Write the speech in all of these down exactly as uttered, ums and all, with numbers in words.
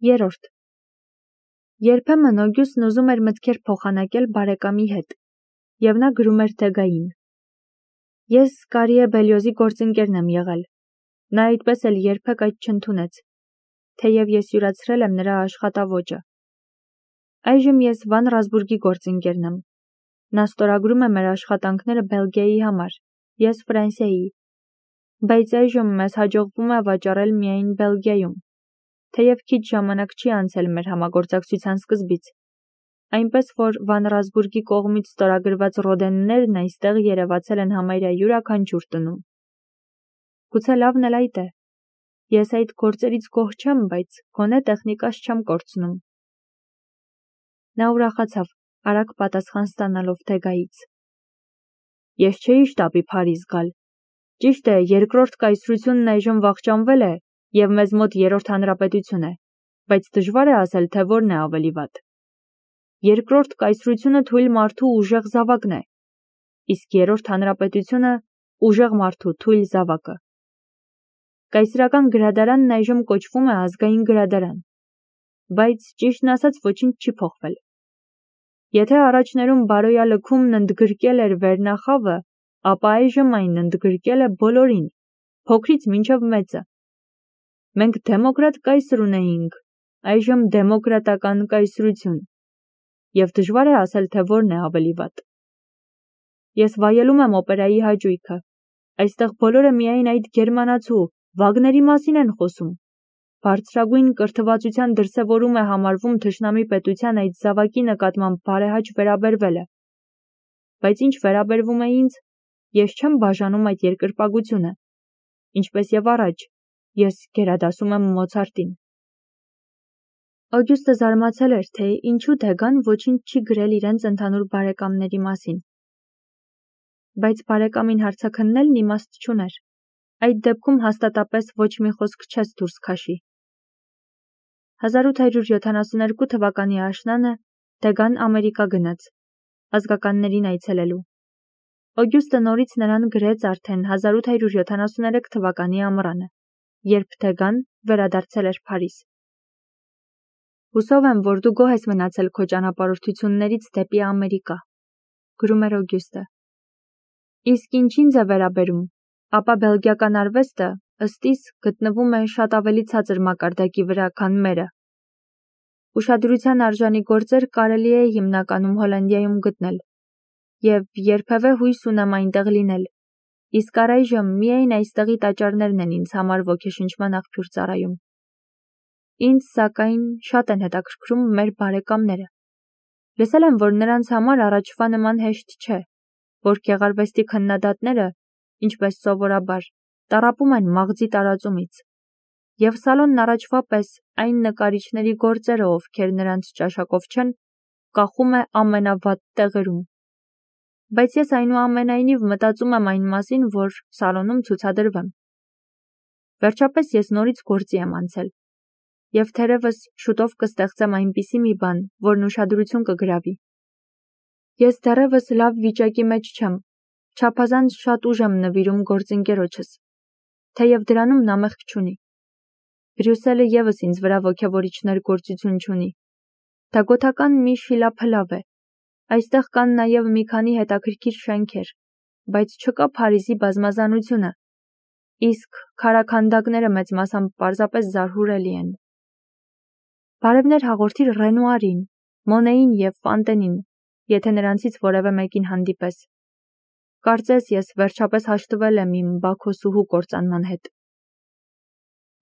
Երորդ. Երբեմն Օգյուստն ուզում էր մտքեր փոխանակել բարեկամի հետ, և նա գրում էր Թեգային. Ես Կարիե Բելյոզի գործընկերն եմ եղել, նա այդպես էլ երբեք այդ չընդունեց, թեև ես յուրացրել եմ նրա աշխատավոճը։ Այժմ ես Վան Ռազբուրգի գործընկերն եմ, նա ստորագրում է մեր աշխատանքները Բելգիայի համար, ես Ֆրանսիայի, բայց այժմ մեզ հաջողվում է վաճառել միայն Բելգիայում, թեև քիչ ժամանակ չի անցել մեր համագործակցության սկզբից, այնպես որ Վան Ռազբուրգի կողմից ստորագրված ռոդեններն այստեղ երևացել են համարյա յուրաքանչյուր տնում։ Գուցե լավն էլ այդ է, ես այդ գործերից գոհ չեմ, բայց գոնե տեխնիկաս չեմ կորցնում։ Նա ուրախացավ, արագ պատասխան ստանալով Թեգայից։ Ես չէի շտապի Փարիզ գալ։ Ճիշտ է, երկրորդ կայսրությունն այժմ վախճանվել է և մեզ մոտ երրորդ հանրապետություն է, բայց դժվար է ասել, թե որն է ավելի վատ։ Երկրորդ կայսրությունը թույլ մարդու ուժեղ զավակն է, իսկ երրորդ հանրապետությունը ուժեղ մարդու թույլ զավակը։ Կայսրական գրադարանն այժմ կոչվում է ազգային գրադարան, բայց ճիշտն ասած ոչինչ չի փոխվել։ Եթե առաջներում բարոյա լքումն ընդգրկել էր վերնախավը, ապա այժմ այն ընդգրկել է բոլորին, փոքրից մինչև մեծը։ Մենք դեմոկրատ կայսր ունեինք, այժմ դեմոկրատական կայսրություն, և դժվար է ասել, թե որն է ավելի վատ։ Ես վայելում եմ օպերայի հաճույքը, այստեղ բոլորը միայն այդ գերմանացու Վագների մասին են խոսում։ Բարձրագույն կրթվածության դրսևորում է համարվում թշնամի պետության այդ զավակի նկատմամբ բարեհաճ վերաբերվելը։ Բայց ինչ վերաբերվում է ինձ, ես չեմ բաժանում այդ երկրպագությունը, ինչպես և առաջ, ես գերադասում եմ Մոցարտին։ Օգյուստը զարմացել էր, թե ինչու Թեգան ոչինչ չի գրել իրենց ընդհանուր բարեկամների մասին։ Բայց բարեկամին հարցաքննելն իմաստ չուներ, այդ դեպքում հաստատապես ոչ մի խոսք չես դուրս քաշի։ հազար ութ հարյուր յոթանասունհինգ թվականի աշնանը Թեգան Ամերիկա գնաց, ազգականներին այցելելու։ Օգյուստը նորից նրան գրեց արդեն հազար ութ հարյուր յոթանասուներեք թվականի ամռանը, երբ Թեգան վերադարձել էր Փարիզ։ Հուսով եմ, որ դու գոհ ես մնացել քո ճանապարհորդություններից դեպի Ամերիկա, գրում էր Օգյուստը։ Իսկ ինչ ինձ է վերաբերում, ապա բելգիական արվեստը, ըստ իս, գտնվում է շատ ավելի ցածր մակարդակի վրա, քան մերը։ Ուշադրության արժանի գործեր կարելի է հիմնականում Հոլանդիայում գտնել, և երբևէ հույս ունեմ այնտեղ լինել, իսկ առայժմ միայն այստեղի տաճարներն են ինձ համար ոգեշնչման աղբյուր ծառայում։ Ինձ, սակայն, շատ են հետաքրքրում մեր բարեկամները։ Լսել եմ, որ նրանց համար առաջվա նման հեշտ չէ, որ գեղարվեստի քննադատները, ինչպես սովորաբար, տառապում են մաղձի տարածումից, և սալոնն առաջվա պես այն նկարիչների գործերը, ովքեր նրանց ճաշակով չեն, կախում է ամենավատ տեղերում։ Բայց ես այնուամենայնիվ մտածում եմ այն մասին, որ սալոնում ցուցադրվեմ։ Վերջապես ես նորից գործի եմ անցել, և թերևս շուտով կստեղծեմ այնպիսի մի բան, որն ուշադրություն կգրավի։ Ես դեռևս լավ վիճակի մեջ չեմ, չափազանց շատ ուժ եմ նվիրում գործընկերոջս, թեև դրանում նա մեղք չունի։ Բրյուսելը ևս ինձ վրա ոգևորիչ ներգործություն չունի։ Դա գոթական մի շիլափլավ է։ Այստեղ կան նաև մի քանի հետաքրքիր շենքեր, բայց չկա Փարիզի բազմազանությունը, իսկ քարաքանդակները մեծ մասամբ պարզապես զարհուրելի են։ Բարևներ հաղորդիր Ռենուարին, Մոնեին և Ֆանտենին, եթե նրանցից որևէ մեկին հանդիպես։ Կարծես ես վերջապես հաշտվել եմ իմ Բաքոսուհու կործանման հետ։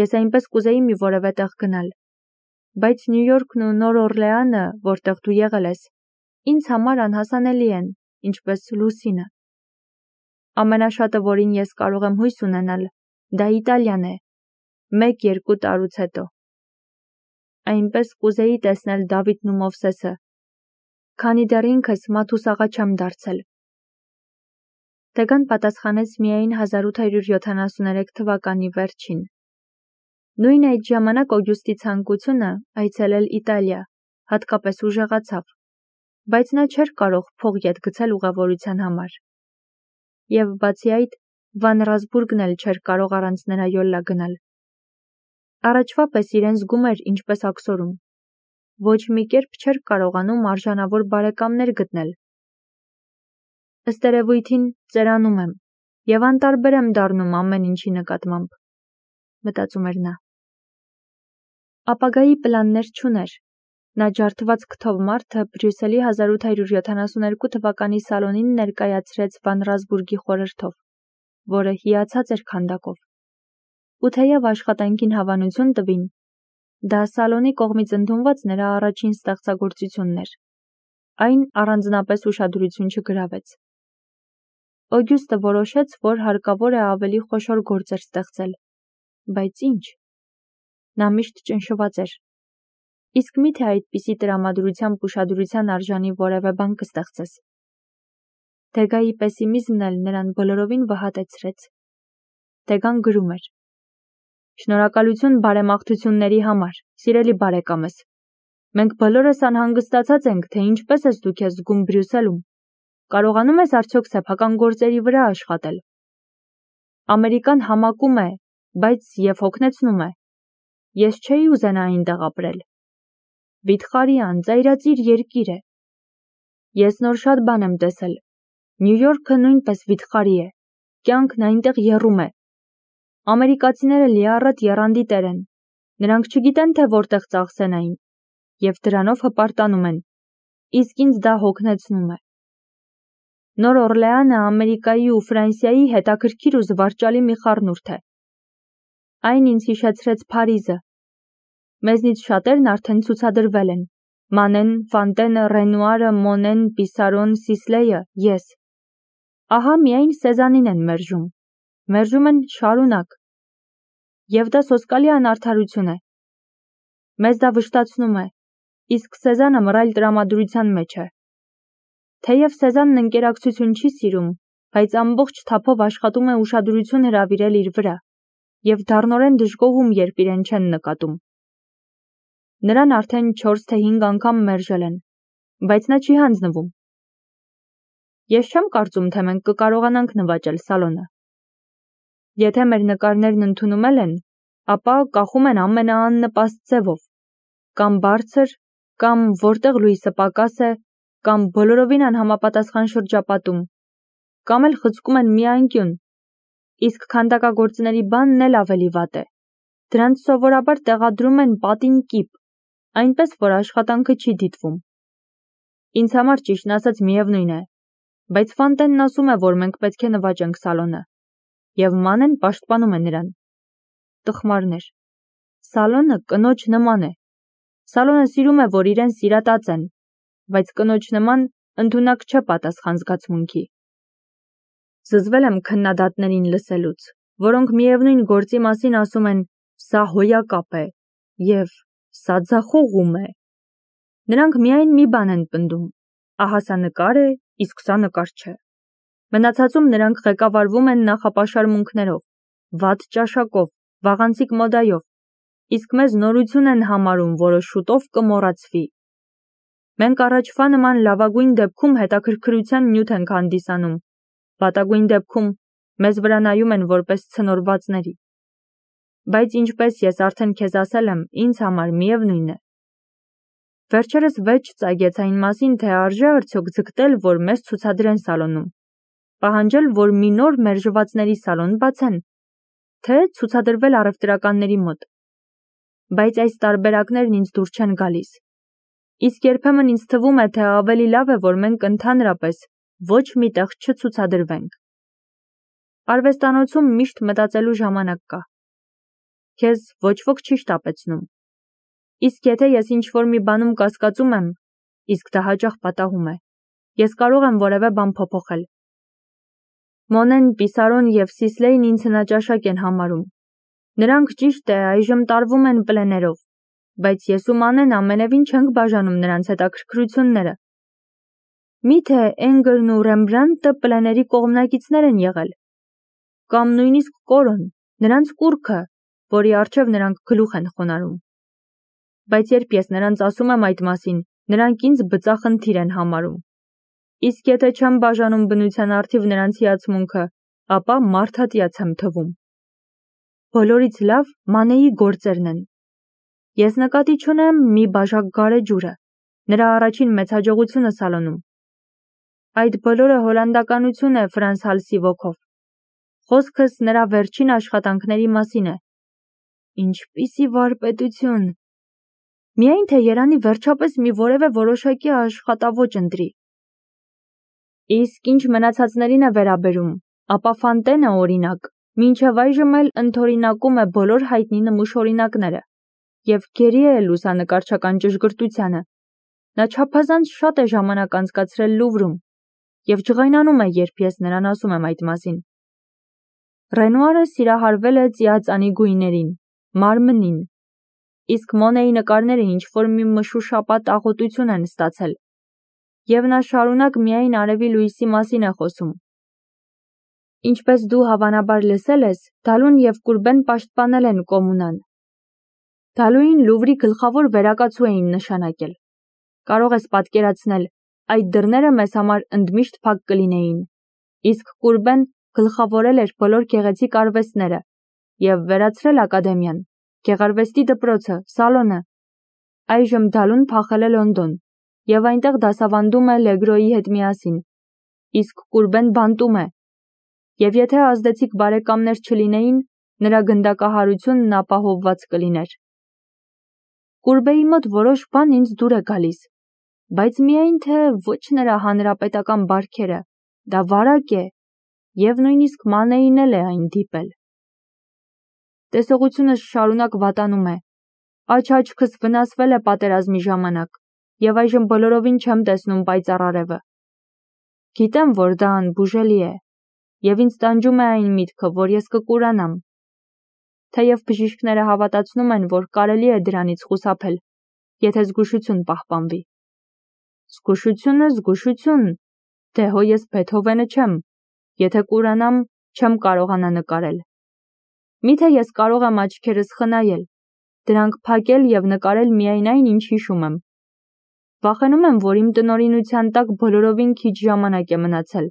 Ես այնպես կուզեի մի որևէ տեղ գնալ, բայց Նյու Յորքն ու Նոր Օրլեանը, որտեղ դու եղել ես, ինձ համար անհասանելի են, ինչպես Լուսինը։ Ամենաշատը, որին ես կարող եմ հույս ունենալ, դա Իտալիան է, մեկ-երկու տարուց հետո։ Այնպես կուզեի տեսնել Դավիթն ու Մովսեսը, քանի դեռ ինքս Մաթուսաղա չեմ դարձել։ Թեգան պատասխանեց միայն հազար ութ հարյուր յոթանասունհինգ թվականի վերջին։ Նույն այդ ժամանակ Օգյուստի ցանկությունը այցելել Իտալիա հատկապես ուժեղացավ, բայց նա չէր կարող փող ետ գցել ուղևորության համար։ Եվ բացի այդ, Վան Ռազբուրգն էլ չէր կարող առանց նրա յոլլա գնալ։ Առաջվա պես իրեն զգում էր ինչպես աքսորում։ Ոչ մի կերպ չէր կարողանում արժանավոր բարեկամներ գտնել։ Ըստ երևույթին ծերանում եմ և անտարբեր եմ դառնում ամեն ինչի նկատմամբ, մտածում էր նա։ Ապագայի պլաններ չուներ։ Նա ջարդված քթով մարդը Բրյուսելի հազար ութ հարյուր յոթանասունհինգ թվականի սալոնին ներկայացրեց Վան Ռասբուրգի խորհրդով, որը հիացած էր քանդակով։ Ու թեև աշխատանքին հավանություն տվին, դա սալոնի կողմից ընդունված նրա առաջին ստեղծագործությունն էր։ Այն առանձնապես ուշադրություն չգրավեց։ Օգյուստը որոշեց, որ հարկավոր է ավելի խոշոր գործեր ստեղծել։ Բայց ինչ։ Նա միշտ ճնշված էր։ Իսկ մի՞թե այդպիսի տրամադրությամբ ուշադրության արժանի որևէ բան կստեղծես։ Թեգայի պեսիմիզմն էլ նրան բոլորովին վհատեցրեց։ Թեգան գրում էր. Շնորհակալություն բարեմաղթությունների համար, սիրելի բարեկամս։ Մենք բոլորս անհանգստացած ենք, թե ինչպես ես դու քեզ զգում Բրյուսելում։ Կարողանում ես արդյոք սեփական գործերի վրա աշխատել։ Ամերիկան համակում է, բայց և հոգնեցնում է։ Ես չէի ուզենա այնտեղ ապրել։ Վիթխարի անծայրածիր երկիր է։ Ես նոր շատ բան եմ տեսել։ Նյու Յորքը նույնպես վիթխարի է։ Կյանքն այնտեղ եռում է։ Ամերիկացիները լիառատ եռանդի տեր են։ Նրանք չգիտեն, թե որտեղ ծախսեն այն, և դրանով հպարտանում են, իսկ ինձ դա հոգնեցնում է։ Նոր Օրլեանը Ամերիկայի ու Ֆրանսիայի հետաքրքիր ու զվարճալի մի խառնուրդ է։ Այն ինձ հիշեցրեց Փարիզը։ Մեզնից շատերն արդեն ցուցադրվել են։ Մանեն, Ֆանտենը, Ռենուարը, Մոնեն, Պիսարոն, Սիսլեյը, ես։ Ահա միայն Սեզանին են մերժում։ Մերժում են շարունակ։ Եվ դա սոսկալի անարդարություն է։ Մեզ դա վշտացնում է, իսկ Սեզանը մռայլ տրամադրության մեջ է։ Թեև Սեզանն ընկերակցություն չի սիրում, բայց ամբողջ թափով աշխատում է ուշադրություն հրավիրել իր վրա, և դառնորեն դժգոհում, երբ իրեն չեն նկատում։ Նրան արդեն չորս թե հինգ անգամ մերժել են, բայց նա չի հանձնվում։ Ես չեմ կարծում, թե մենք կկարողանանք նվաճել սալոնը։ Եթե մեր նկարներն ընդունումել են, ապա կախում են ամենաաննպաստ ձևով, կամ բարձր, կամ որտեղ լույսը պակաս է, կամ բոլորովին անհամապատասխան շրջապատում, կամ էլ խցկում են մի անկյուն, իսկ քանդակագործների բանն էլ ավելի վատ է։ Դրանց սովորաբար տեղադրում են պատին կիպ, այնպես, որ աշխատանքը չի դիտվում։ Ինձ համար ճիշտն ասած միևնույն է, բայց Ֆանտենն ասում է, որ մենք պետք է նվաճենք սալոնը, և Մանեն պաշտպանում է նրան։ Տխմարներ։ Սալոնը կնոջ նման է։ Սալոնը սիրում է, որ իրեն սիրատած են, բայց կնոջ նման ընդունակ չէ պատասխան զգացմունքի։ Զզվել եմ քննադատներին լսելուց, որոնք միևնույն գործի մասին ասում են «սա հոյակապ է» և «սա ձախողում է»։ Նրանք միայն մի բան են պնդում. ահա սա նկար է, իսկ սա նկար չէ։ Մնացածում նրանք ղեկավարվում են նախապաշարմունքներով, վատ ճաշակով, վաղանցիկ մոդայով, իսկ մեզ նորություն են համարում, որը շուտով կմոռացվի։ Մենք առաջվա նման լավագույն դեպքում հետաքրքրության նյութ ենք հանդիսանում, վատագույն դեպքում մեզ վրա նայում են որպես ցնորվածների։ Բայց ինչպես ես արդեն քեզ ասել եմ, ինձ համար միևնույն է։ Վերջերս վեճ ծագեց այն մասին, թե արժե արդյոք ձգտել, որ մեզ ցուցադրեն սալոնում, պահանջել, որ մի նոր մերժվածների սալոն բացեն, թե ցուցադրվել առևտրականների մոտ։ Բայց այս տարբերակներն ինձ դուր չեն գալիս։ Իսկ երբեմն ինձ թվում է, թե ավելի լավ է, որ մենք ընդհանրապես ոչ մի տեղ չցուցադրվենք։ Արվեստանոցում միշտ մտածելու ժամանակ կա։ Քեզ ոչ ոք չի շտապեցնում։ Իսկ եթե ես ինչ-որ մի բանում կասկածում եմ, իսկ դա հաճախ պատահում է, ես կարող եմ որևէ բան փոփոխել։ Մոնեն, Պիսարոն և Սիսլեյն ինձ հնաճաշակ են համարում։ Նրանք ճիշտ է այժմ տարվում են պլեներով, բայց ես ու Մանեն ամենևին չենք բաժանում նրանց հետաքրքրությունները։ Մի՞թե Էնգլն ու Ռեմբրանդտը պլեների կողմնակիցներ են եղել։ Կամ նույնիսկ Կորոն, նրանց կուռքը, որի առջև նրանք գլուխ են խոնարհում։ Բայց երբ ես նրանց ասում եմ այդ մասին, նրանք ինձ բծախնդիր են համարում։ Իսկ եթե չեմ բաժանում բնության առթիվ նրանց հիացմունքը, ապա մարդատյաց եմ թվում։ բոլորից լավ Մանեի գործերն են։ Ես նկատի չունեմ մի բաժակ գարեջուրը, նրա առաջին մեծհաջողությունը սալոնում։ Այդ բոլորը հոլանդականություն է Ֆրանս Հալսի ոգով։ Խոսքս նրա վերջին աշխատանքների մասին է։ Ինչպիսի վարպետություն։ Միայն թե Երանի վերջապես մի որևէ որոշակի աշխատավոճ ընտրի։ Իսկ ինչ մնացածներին է վերաբերում, ապա Ֆանտենը, օրինակ, մինչև այժմ էլ ընդօրինակում է բոլոր հայտնի նմուշօրինակները և գերի է լուսանկարչական ճշգրտությանը։ Նա չափազանց շատ է ժամանակ անցկացրել Լուվրում և ջղայնանում է, երբ ես նրան ասում եմ այդ մասին։ Ռենուարը սիրահարվել է ծիածանի գույներին, մարմնին, իսկ Մոնեի նկարները ինչ-որ մի մշուշապատ աղոտություն են ստացել, և նա շարունակ միայն արևի լույսի մասին է խոսում։ Ինչպես դու հավանաբար լսել ես, Դալուն և Կուրբեն պաշտպանել են Կոմունան։ Դալուին Լուվրի գլխավոր վերակացու էին նշանակել։ Կարող ես պատկերացնել, այդ դռները մեզ համար ընդմիշտ փակ կլինեին, իսկ Կուրբեն գլխավորել էր բոլոր գեղեցիկ արվեստները և վերացրել ակադեմիան, գեղարվեստի դպրոցը, սալոնը։ Այժմ Դալուն փախել է Լոնդոն և այնտեղ դասավանդում է Լեգրոյի հետ միասին, իսկ Կուրբեն բանտում է, և եթե ազդեցիկ բարեկամներ չլինեին, նրա գնդակահարությունն ապահովված կլիներ։ Կուրբեի մոտ որոշ բան ինձ դուր է գալիս, բայց միայն թե ոչ նրա հանրապետական բարքերը, դա վարակ է, և նույնիսկ Մանեին էլ է այն դիպել։ Տեսողությունս շարունակ վատանում է, աջ աչքս վնասվել է պատերազմի ժամանակ, և այժմ բոլորովին չեմ տեսնում պայծառ արևը։ Գիտեմ, որ դա անբուժելի է, և ինձ տանջում է այն միտքը, որ ես կկուրանամ, թեև բժիշկները հավատացնում են, որ կարելի է դրանից խուսափել, եթե զգուշություն պահպանվի։ Զգուշությունը, զգուշություն, դե հո ես Բեթհովենը չեմ, եթե կուրանամ, չեմ կարողանա նկարել։ Միթե ես կարող եմ աչքերս խնայել, դրանք փակել և նկարել միայն այն, ինչ հիշում եմ։ Վախենում եմ, որ իմ տնօրինության տակ բոլորովին քիչ ժամանակ է մնացել։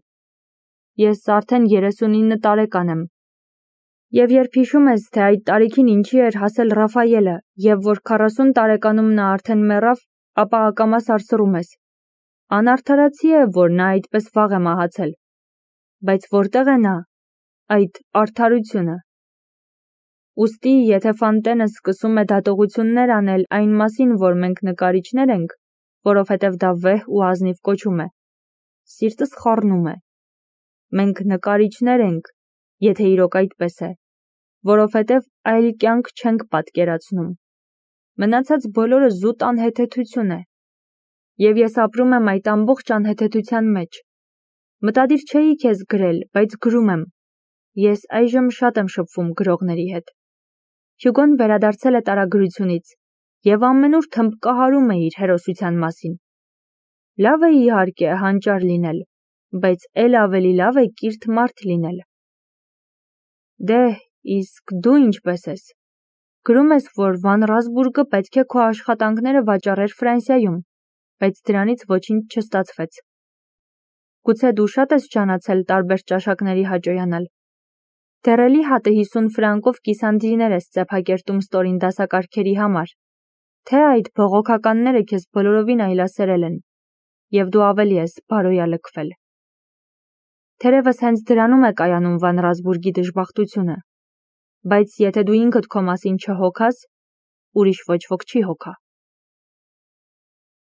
Ես արդեն երեսունինը տարեկան եմ։ Եվ երբ հիշում ես, թե այդ տարիքին ինչի էր հասել Ռաֆայելը, և որ քառասուն տարեկանում նա արդեն մեռավ, ապա ակամա սարսռում ես։ Անարդարացի է, որ նա այդպես վաղ է մահացել։ Բայց որտեղ է նա, այդ արդարությունը։ Ուստի, եթե Ֆանտենը սկսում է դատողություններ անել այն մասին, որ մենք նկարիչներ ենք, որովհետև դա վեհ ու ազնիվ կոչում է, սիրտս խառնում է։ Մենք նկարիչներ ենք, եթե իրոք այդպես է, որովհետև այլ կյանք չենք պատկերացնում։ Մնացած բոլորը զուտ անհեթեթություն է։ Եվ ես ապրում եմ այդ ամբողջ անհեթեթության մեջ։ Մտադիր չէի քեզ գրել, բայց գրում եմ։ Ես այժմ շատ եմ շփվում գրողների հետ։ Հյուգոն վերադարձել է տարագրությունից և ամենուր թմբկահարում է իր հերոսության մասին։ Լավ է իհարկե հանճար լինել, բայց էլ ավելի լավ է կիրթ մարդ լինել։ Դե, իսկ դու ինչպես ես։ Գրում ես, որ Վան Ռասբուրգը պետք է քո աշխատանքները վաճառեր Ֆրանսիայում, բայց դրանից ոչինչ չստացվեց։ Գուցե դու շատ ես ջանացել տարբեր ճաշակների հաճոյանալ։ Դեռ էլի հատը հիսուն ֆրանկով կիսանդրիներ ես ծեփակերտում ստորին դասակարգերի համար, թե այդ բողոքականները քեզ բոլորովին այլասերել են, և դու ավելի ես բարոյալքվել։ Թերևս հենց դրանում է կայանում Վան Ռասբուրգի դժբախտությունը, բայց եթե դու ինքդ քո մասին չհոգաս, ուրիշ ոչ ոք չի հոգա։